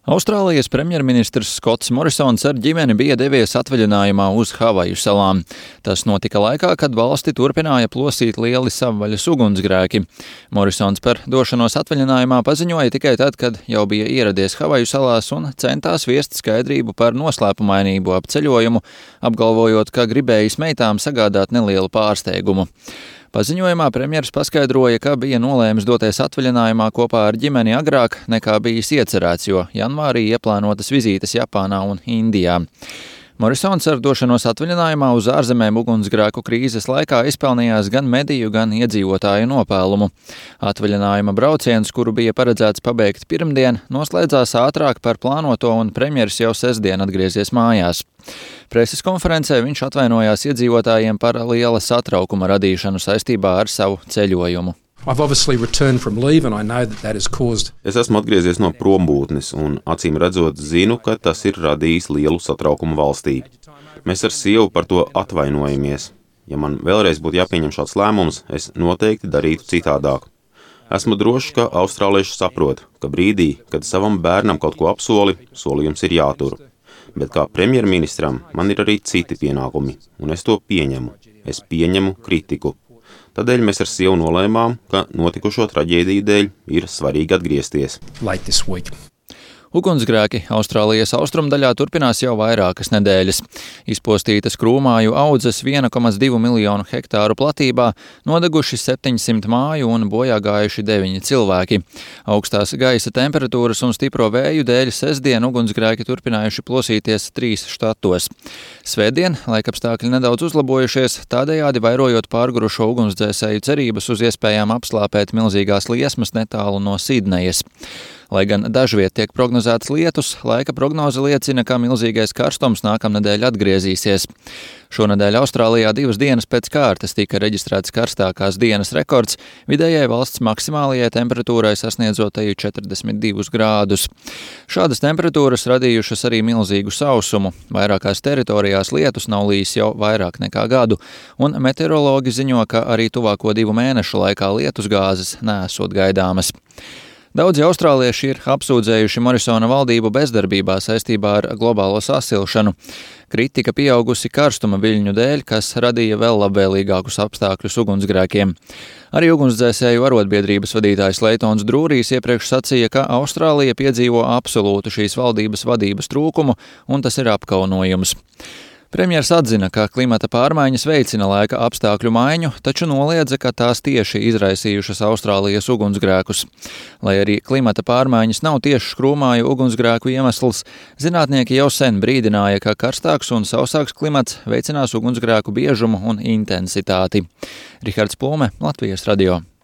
Austrālijas premjerministrs Skots Morisons ar ģimeni bija devies atvaļinājumā uz Havaju salām. Tas notika laikā, kad valsti turpināja plosīt lieli savvaļas ugunsgrēki. Morisons par došanos atvaļinājumā paziņoja tikai tad, kad jau bija ieradies Havaju salās un centās viest skaidrību par noslēpumainību ap ceļojumu, apgalvojot, ka gribējis meitām sagādāt nelielu pārsteigumu. Paziņojumā premjeras paskaidroja, ka bija nolēmis doties atvaļinājumā kopā ar ģimeni agrāk nekā bijis iecerēts, jo janvārī ieplānotas vizītes Japānā un Indijā. Morisons ar došanos atvaļinājumā uz ārzemēm ugunsgrēku krīzes laikā izpelnījās gan mediju, gan iedzīvotāju nopēlumu. Atvaļinājuma brauciens, kuru bija paredzēts pabeigt pirmdien, noslēdzās ātrāk par plānoto un premjeras jau sestdien atgriezies mājās. Preses konferencē viņš atvainojās iedzīvotājiem par liela satraukuma radīšanu saistībā ar savu ceļojumu. Es esmu atgriezies no prombūtnes un, acīm redzot, zinu, ka tas ir radījis lielu satraukumu valstī. Mēs ar sievu par to atvainojamies. Ja man vēlreiz būtu jāpieņem šāds lēmums, es noteikti darītu citādāk. Esmu drošs, ka austrālieši saprot, ka brīdī, kad savam bērnam kaut ko apsoli, solījums ir jātur. Bet kā premjerministram man ir arī citi pienākumi, un es to pieņemu. Es pieņemu kritiku. Tādēļ mēs ar sievu nolēmām, ka notikušo traģēdiju dēļ ir svarīgi atgriezties. Ugunsgrēki Austrālijas austrumdaļā turpinās jau vairākas nedēļas. Izpostītas krūmāju audzes 1,2 miljonu hektāru platībā, nodeguši 700 māju un bojā gājuši 9 cilvēki. Augstās gaisa temperatūras un stipro vēju dēļ sestdien ugunsgrēki turpinājuši plosīties 3 štatos. Svētdien laikapstākļi nedaudz uzlabojušies, tādējādi vairojot pārgurušo ugunsdzēsēju cerības uz iespējām apslāpēt milzīgās liesmas netālu no Sidnejas. Lai gan dažviet tiek prognozēts lietus, laika prognoze liecina, ka milzīgais karstums nākamnedēļ atgriezīsies. Šonedēļ Austrālijā 2 dienas pēc kārtas tika reģistrēts karstākās dienas rekords, vidējai valsts maksimālajai temperatūrai sasniedzot 42 grādus. Šādas temperatūras radījušas arī milzīgu sausumu. Vairākās teritorijās lietus nav lijis jau vairāk nekā gadu, un meteorologi ziņo, ka arī tuvāko 2 mēnešu laikā lietusgāzes neesot gaidāmas. Daudzi austrālieši ir apsūdzējuši Morisona valdību bezdarbībā saistībā ar globālo sasilšanu. Kritika pieaugusi karstuma viļņu dēļ, kas radīja vēl labvēlīgākus apstākļus ugunsgrēkiem. Arī ugunsdzēsēju arotbiedrības vadītājs Leitons Drūrijs iepriekš sacīja, ka Austrālija piedzīvo absolūtu šīs valdības vadības trūkumu, un tas ir apkaunojums. Premjers atzina, ka klimata pārmaiņas veicina laika apstākļu maiņu, taču noliedza, ka tās tieši izraisījušas Austrālijas ugunsgrēkus. Lai arī klimata pārmaiņas nav tieši krūmāju ugunsgrēku iemesls, zinātnieki jau sen brīdināja, ka karstāks un sausāks klimats veicinās ugunsgrēku biežumu un intensitāti. Rihards Plūme, Latvijas radio.